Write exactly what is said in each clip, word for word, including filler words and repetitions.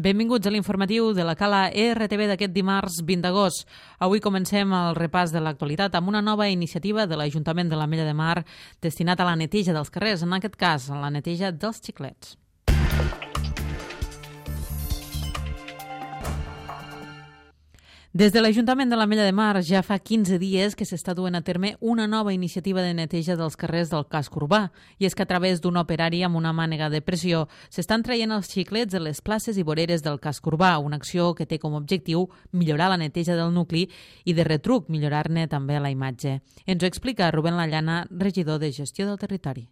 Benvinguts a l'informatiu de la Cala R T V d'aquest dimarts vint d'agost. Avui comencem el repàs de l'actualitat amb una nova iniciativa de l'Ajuntament de l'Ametlla de Mar destinat a la neteja dels carrers, en aquest cas a la neteja dels xiclets. Des de l'Ajuntament de l'Ametlla de Mar ja fa quinze dies que s'està duent a terme una nova iniciativa de neteja dels carrers del casc urbà, i és que a través d'un operari amb una mànega de pressió s'estan traient els xiclets de les places i voreres del casc urbà, una acció que té com a objectiu millorar la neteja del nucli i de retruc millorar-ne també la imatge. Ens ho explica Rubén Lallana, regidor de Gestió del Territori.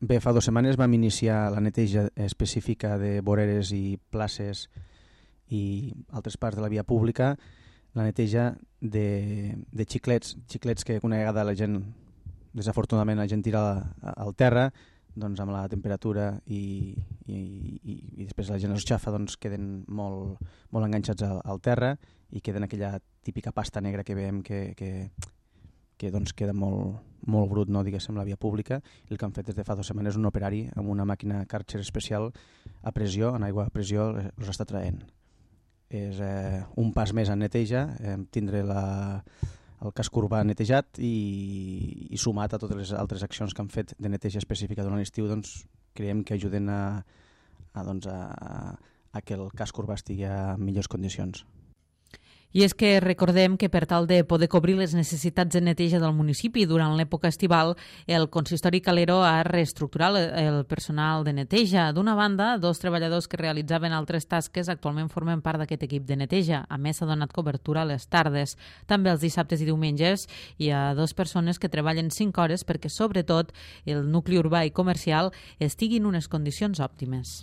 Bé, fa dues setmanes vam iniciar la neteja específica de voreres i places i altres parts de la via pública, la neteja de, de xiclets, xiclets que una vegada la gent, desafortunadament la gent tira al terra, doncs amb la temperatura i, i, i, i després la gent els xafa, doncs queden molt, molt enganxats al, al terra i queden aquella típica pasta negra que veiem que, que, que doncs queda molt, molt brut, no, diguéssim, la via pública. I el que han fet des de fa dues setmanes és un operari amb una màquina Karcher especial a pressió, en aigua a pressió, els està traient. És eh, un pas més en neteja, eh, tindre la, el casc urbà netejat i, i sumat a totes les altres accions que han fet de neteja específica durant l'estiu, doncs, creiem que ajuden a, a, doncs, a, a que el casc urbà estigui en millors condicions. I és que recordem que per tal de poder cobrir les necessitats de neteja del municipi durant l'època estival, el consistori Calero ha reestructurat el personal de neteja. D'una banda, dos treballadors que realitzaven altres tasques actualment formen part d'aquest equip de neteja. A més, s'ha donat cobertura a les tardes, també els dissabtes i diumenges. Hi ha dues persones que treballen cinc hores perquè, sobretot, el nucli urbà i comercial estigui en unes condicions òptimes.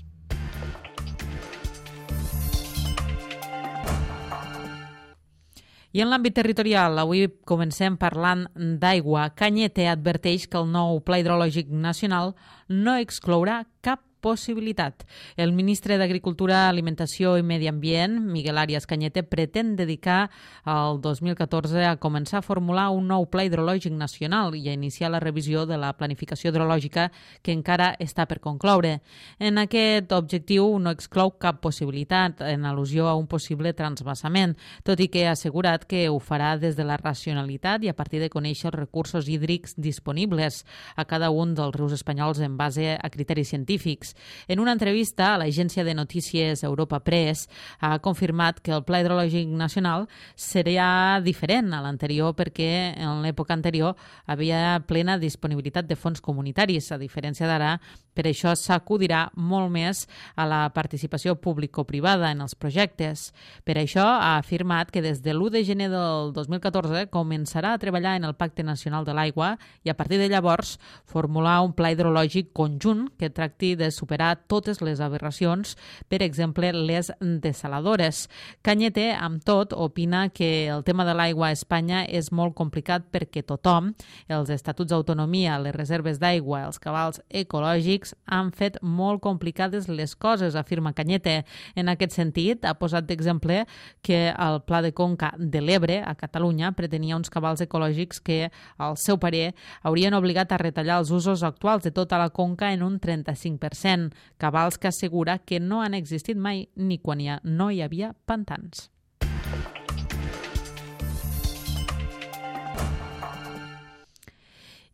I en l'àmbit territorial, avui comencem parlant d'aigua. Cañete adverteix que el nou Pla Hidrològic Nacional no exclourà cap possibilitat. El ministre d'Agricultura, Alimentació i Medi Ambient, Miguel Arias Cañete, pretén dedicar el dos mil catorze a començar a formular un nou Pla Hidrològic Nacional i a iniciar la revisió de la planificació hidrològica que encara està per concloure. En aquest objectiu no exclou cap possibilitat en al·lusió a un possible transvasament, tot i que ha assegurat que ho farà des de la racionalitat i a partir de conèixer els recursos hídrics disponibles a cada un dels rius espanyols en base a criteris científics. En una entrevista a l'agència de notícies Europa Press ha confirmat que el Pla Hidrològic Nacional serà diferent a l'anterior perquè en l'època anterior havia plena disponibilitat de fons comunitaris, a diferència d'ara. Per això s'acudirà molt més a la participació público-privada en els projectes. Per això ha afirmat que des de l'u de gener del dos mil catorze començarà a treballar en el Pacte Nacional de l'Aigua i a partir de llavors formular un pla hidrològic conjunt que tracti de superar totes les aberracions, per exemple, les dessaladores. Cañete, amb tot, opina que el tema de l'aigua a Espanya és molt complicat perquè tothom, els estatuts d'autonomia, les reserves d'aigua, els cabals ecològics, han fet molt complicades les coses, afirma Cañete. En aquest sentit, ha posat d'exemple que el Pla de Conca de l'Ebre, a Catalunya, pretenia uns cabals ecològics que, al seu parer, haurien obligat a retallar els usos actuals de tota la conca en un trenta-cinc per cent, cabals que assegura que no han existit mai ni quan hi ha, no hi havia pantans.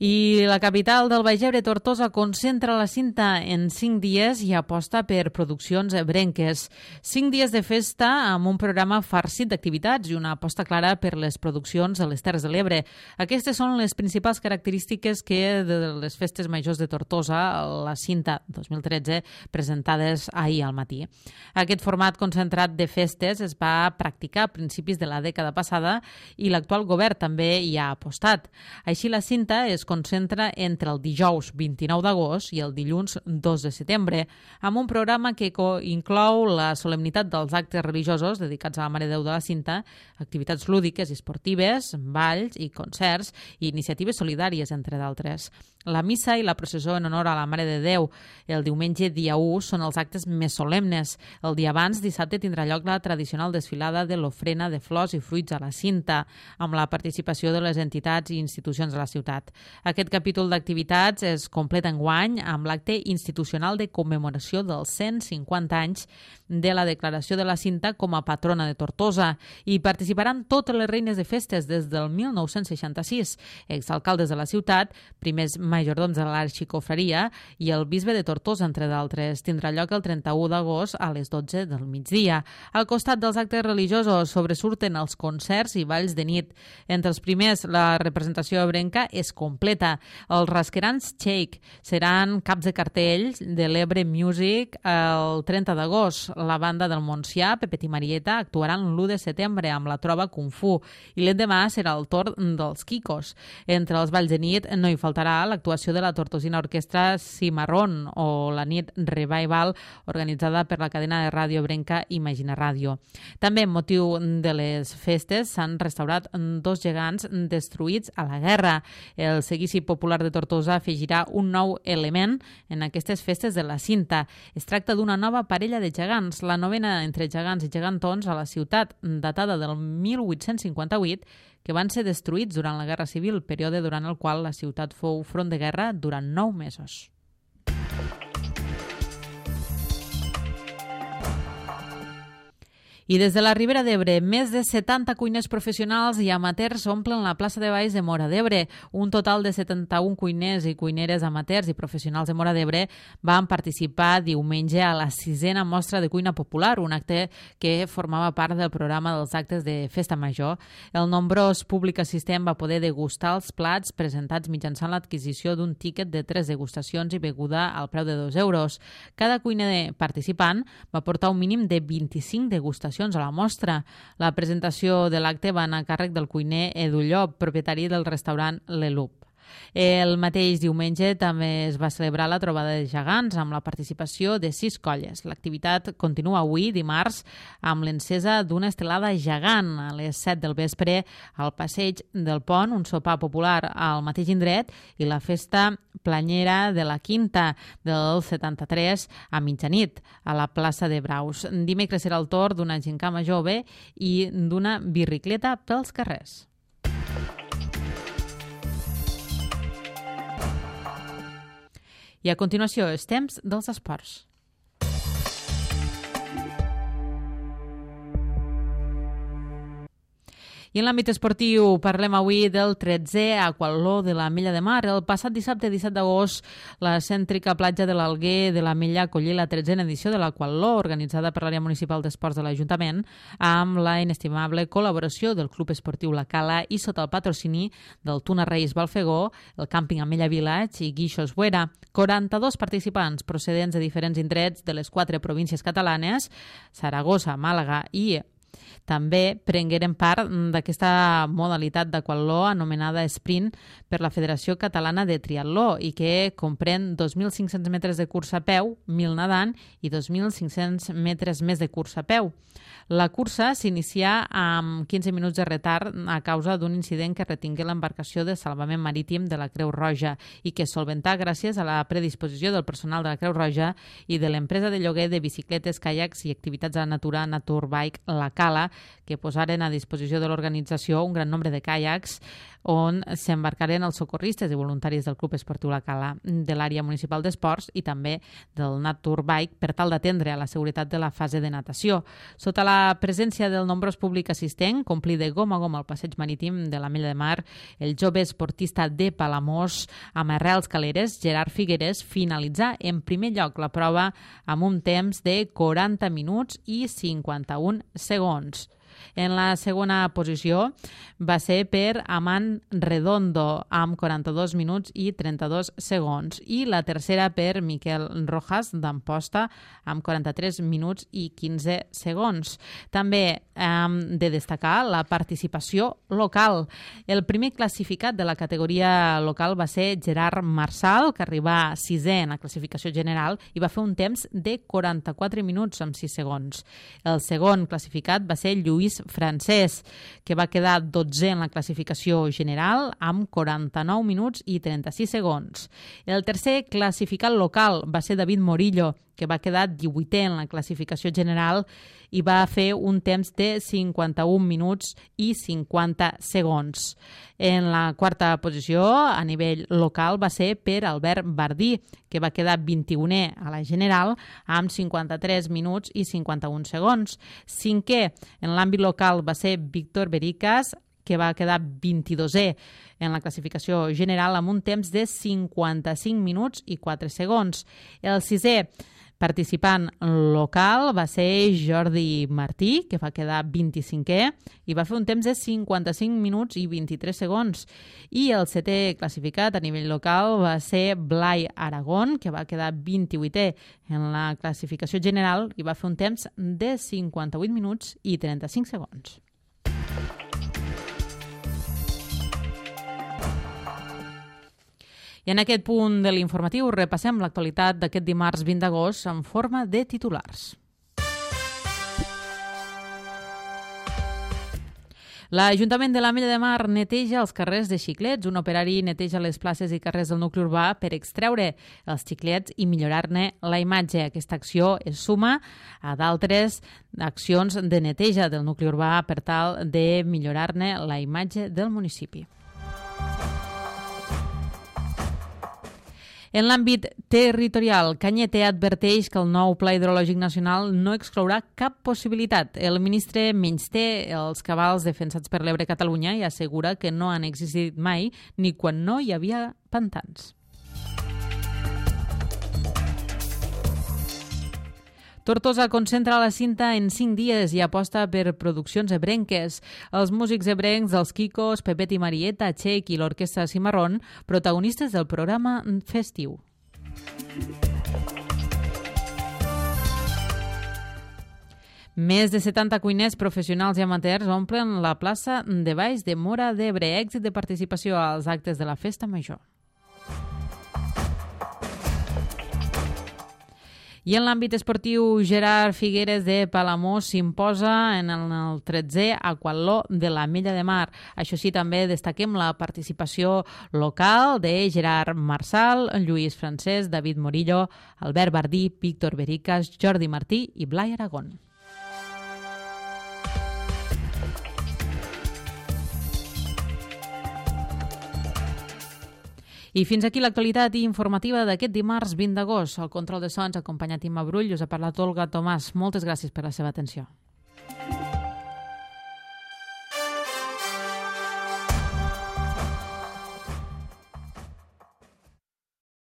I la capital del Baix Ebre, Tortosa, concentra la cinta en cinc dies i aposta per produccions ebrenques. Cinc dies de festa amb un programa farcit d'activitats i una aposta clara per les produccions de les Terres de l'Ebre. Aquestes són les principals característiques que de les festes majors de Tortosa, la cinta dos mil tretze, presentades ahir al matí. Aquest format concentrat de festes es va practicar a principis de la dècada passada i l'actual govern també hi ha apostat. Així, la cinta es concentra entre el dijous vint-i-nou d'agost i el dilluns dos de setembre, amb un programa que inclou la solemnitat dels actes religiosos dedicats a la Mare de Déu de la Cinta, activitats lúdiques i esportives, balls i concerts i iniciatives solidàries, entre d'altres. La missa i la processó en honor a la Mare de Déu el diumenge dia u són els actes més solemnes. El dia abans, dissabte, tindrà lloc la tradicional desfilada de l'ofrena de flors i fruits a la cinta, amb la participació de les entitats i institucions de la ciutat. Aquest capítol d'activitats es completa enguany amb l'acte institucional de commemoració dels cent cinquanta anys de la declaració de la Cinta com a patrona de Tortosa. Hi participaran totes les reines de festes des del mil nou-cents seixanta-sis, exalcaldes de la ciutat, primers majordoms de l'arxicofreria i el bisbe de Tortosa, entre d'altres. Tindrà lloc el trenta-u d'agost a les dotze del migdia. Al costat dels actes religiosos sobresurten els concerts i balls de nit. Entre els primers, la representació ebrenca és completa. Els rasquerans Shake seran caps de cartell de l'Ebre Music el trenta d'agost. La banda del Montsià, Pepet i Marieta, actuaran l'u de setembre amb la trova Kung Fu i l'endemà serà el torn dels Kikos. Entre els balls de nit no hi faltarà l'actuació de la tortosina orquestra Cimarrón o la nit Revival organitzada per la cadena de ràdio ebrenca Imagina Ràdio. També, amb motiu de les festes, s'han restaurat dos gegants destruïts a la guerra. El seguici popular de Tortosa afegirà un nou element en aquestes festes de la Cinta. Es tracta d'una nova parella de gegants, la novena entre gegants i gegantons a la ciutat, datada del mil vuit-cents cinquanta-vuit, que van ser destruïts durant la Guerra Civil, període durant el qual la ciutat fou front de guerra durant nou mesos. I des de la Ribera d'Ebre, més de setanta cuiners professionals i amateurs omplen la plaça de Valls de Móra d'Ebre. Un total de setanta-un cuiners i cuineres amateurs i professionals de Móra d'Ebre van participar diumenge a la sisena mostra de cuina popular, un acte que formava part del programa dels actes de Festa Major. El nombrós públic assistent va poder degustar els plats presentats mitjançant l'adquisició d'un tíquet de tres degustacions i beguda al preu de dos euros. Cada cuiner participant va portar un mínim de vint-i-cinc degustacions a la mostra. La presentació de l'acte va anar a càrrec del cuiner Edu Llop, propietari del restaurant L'Elup. El mateix diumenge també es va celebrar la trobada de gegants amb la participació de sis colles. L'activitat continua avui, dimarts, amb l'encesa d'una estelada gegant a les set del vespre al passeig del Pont, un sopar popular al mateix indret i la festa planyera de la Quinta del setanta-tres a mitjanit a la plaça de Braus. Dimecres serà el torn d'una gincama jove i d'una birricleta pels carrers. I a continuació, els temps dels esports. I en l'àmbit esportiu parlem avui del tretzè aquatló de l'Ametlla de Mar. El passat dissabte disset d'agost, la cèntrica platja de l'Alguer de l'Ametlla acollí la tretzena edició de l'aquatló organitzada per l'àrea municipal d'esports de l'Ajuntament amb la inestimable col·laboració del Club Esportiu La Cala i sota el patrocini del Tuna Reis Balfegó, el Càmping Ametlla Village i Guixos Buera. quaranta-dos participants procedents de diferents indrets de les quatre províncies catalanes, Saragossa, Màlaga i també prengueren part d'aquesta modalitat d'aquatló anomenada sprint per la Federació Catalana de Triatló i que comprèn dos mil cinc-cents metres de cursa a peu, mil nedant i dos mil cinc-cents metres més de cursa a peu. La cursa s'inicia amb quinze minuts de retard a causa d'un incident que retingué l'embarcació de salvament marítim de la Creu Roja i que es solventà gràcies a la predisposició del personal de la Creu Roja i de l'empresa de lloguer de bicicletes, caiacs i activitats a la natura Naturbike La Cala, que posaren a disposició de l'organització un gran nombre de caiacs on s'embarcaren els socorristes i voluntaris del Club Esportiu La Cala, de l'àrea municipal d'esports i també del Naturbike per tal d'atendre a la seguretat de la fase de natació. Sota la presència del nombrós públic assistent, complir de gom a gom el passeig marítim de l'Ametlla de Mar, el jove esportista de Palamós, amb arrels caleres, Gerard Figueres, finalitzà en primer lloc la prova amb un temps de quaranta minuts i cinquanta-un segons. En la segona posició va ser per Amant Redondo amb quaranta-dos minuts i trenta-dos segons i la tercera per Miquel Rojas d'Amposta amb quaranta-tres minuts i quinze segons. També hem de destacar la participació local. El primer classificat de la categoria local va ser Gerard Marsal, que arribà sisè en la classificació general i va fer un temps de quaranta-quatre minuts amb sis segons. El segon classificat va ser Lluís Francès, que va quedar dotzè en la classificació general amb quaranta-nou minuts i trenta-sis segons. El tercer classificat local va ser David Morillo, que va quedar divuitè en la classificació general i va fer un temps de cinquanta-un minuts i cinquanta segons. En la quarta posició, a nivell local, va ser per Albert Bardí, que va quedar vint-i-unè a la general amb cinquanta-tres minuts i cinquanta-un segons. Cinquè, en l'àmbit local, va ser Víctor Bericas, que va quedar vint-i-dosè en la classificació general amb un temps de cinquanta-cinc minuts i quatre segons. El sisè participant local va ser Jordi Martí, que va quedar vint-i-cinquè i va fer un temps de cinquanta-cinc minuts i vint-i-tres segons. I el setè classificat a nivell local va ser Blai Aragón, que va quedar vint-i-vuitè en la classificació general i va fer un temps de cinquanta-vuit minuts i trenta-cinc segons. I en aquest punt de l'informatiu repassem l'actualitat d'aquest dimarts vint d'agost en forma de titulars. L'Ajuntament de l'Ametlla de Mar neteja els carrers de Xiclets. Un operari neteja les places i carrers del nucli urbà per extreure els xiclets i millorar-ne la imatge. Aquesta acció es suma a d'altres accions de neteja del nucli urbà per tal de millorar-ne la imatge del municipi. En l'àmbit territorial, Cañete adverteix que el nou Pla Hidrològic Nacional no exclourà cap possibilitat. El ministre menysté els cabals defensats per l'Ebre a Catalunya i assegura que no han existit mai ni quan no hi havia pantans. Tortosa concentra la cinta en cinc dies i aposta per produccions ebrenques. Els músics ebrencs dels Kikos, Pepet i Marieta, Txec i l'Orquestra Cimarrón, protagonistes del programa festiu. Més de setanta cuiners professionals i amateurs omplen la plaça de Baix de Móra d'Ebre, èxit de participació als actes de la Festa Major. I en l'àmbit esportiu, Gerard Figueres de Palamós s'imposa en el tretzè aquatló de l'Ametlla de Mar. Això sí, també destaquem la participació local de Gerard Marsal, Lluís Francesc, David Morillo, Albert Bardí, Víctor Bericas, Jordi Martí i Blai Aragón. I fins aquí l'actualitat informativa d'aquest dimarts vint d'agost. Al control de sons, acompanyat Imma Brull, us ha parlat Olga Tomàs. Moltes gràcies per la seva atenció.